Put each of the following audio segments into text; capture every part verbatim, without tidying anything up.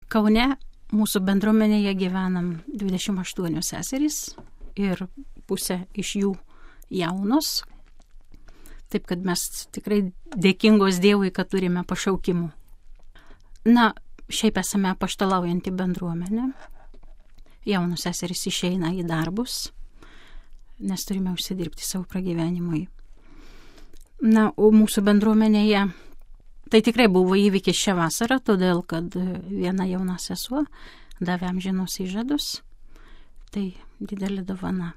Kaune mūsų bendruomenėje gyvenam dvidešimt aštuonios seserys ir pusė iš jų jaunos. Taip, kad mes tikrai dėkingos Dievui, kad turime pašaukimų. Na, šiaip esame apaštalaujantį bendruomenę. Jaunos seserys išeina į darbus, nes turime užsidirbti savo pragyvenimui. Na, o mūsų bendruomenėje tai tikrai buvo įvykis šią vasarą, todėl, kad viena jauna sesuo davė amžinos įžadus. Tai didelė dovana.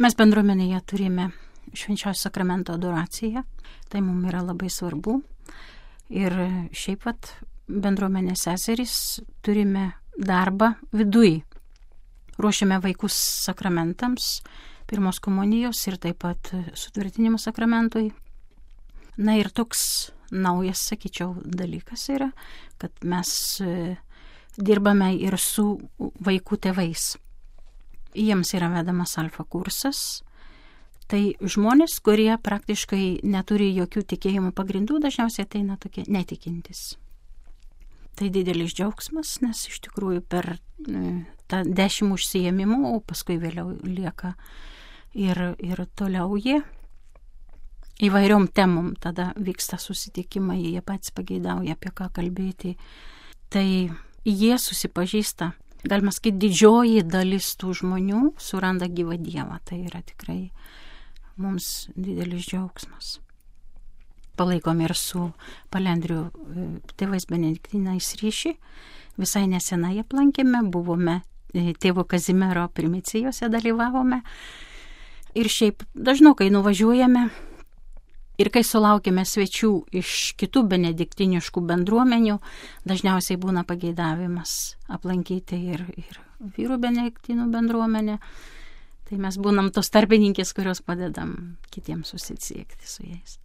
Mes bendruomenėje turime švenčiausio sakramento adoraciją. Tai mums yra labai svarbu. Ir šiaip pat bendruomenės seserys turime darbą viduj. Ruošiame vaikus sakramentams, pirmos komunijos ir taip pat sutvirtinimo sakramentui. Na ir toks naujas, sakyčiau, dalykas yra, kad mes dirbame ir su vaikų tėvais. Jiems yra vedamas alfa kursas. Tai žmonės, kurie praktiškai neturi jokių tikėjimų pagrindų, dažniausiai ateina tokie netikintis. Tai didelis džiaugsmas, nes iš tikrųjų per tą dešimt užsiėmimų, o paskui vėliau lieka ir, ir toliau jie. Įvairiom temom tada vyksta susitikimai, jie patys pageidauja apie ką kalbėti. Tai jie susipažįsta, galima sakyti, didžioji dalis tų žmonių suranda gyvą Dievą. Tai yra tikrai mums didelis džiaugsmas. Palaikom ir su Palendrių tėvais benediktinais ryšį. Visai nesenai aplankėme, buvome tėvo Kazimiero primicijose dalyvavome. Ir šiaip dažnokai nuvažiuojame. Ir kai sulaukėme svečių iš kitų benediktiniškų bendruomenių, dažniausiai būna pageidavimas aplankyti ir, ir vyrų benediktinų bendruomenę. Tai mes būnam tos tarpininkės, kurios padedam kitiems susisiekti su jais.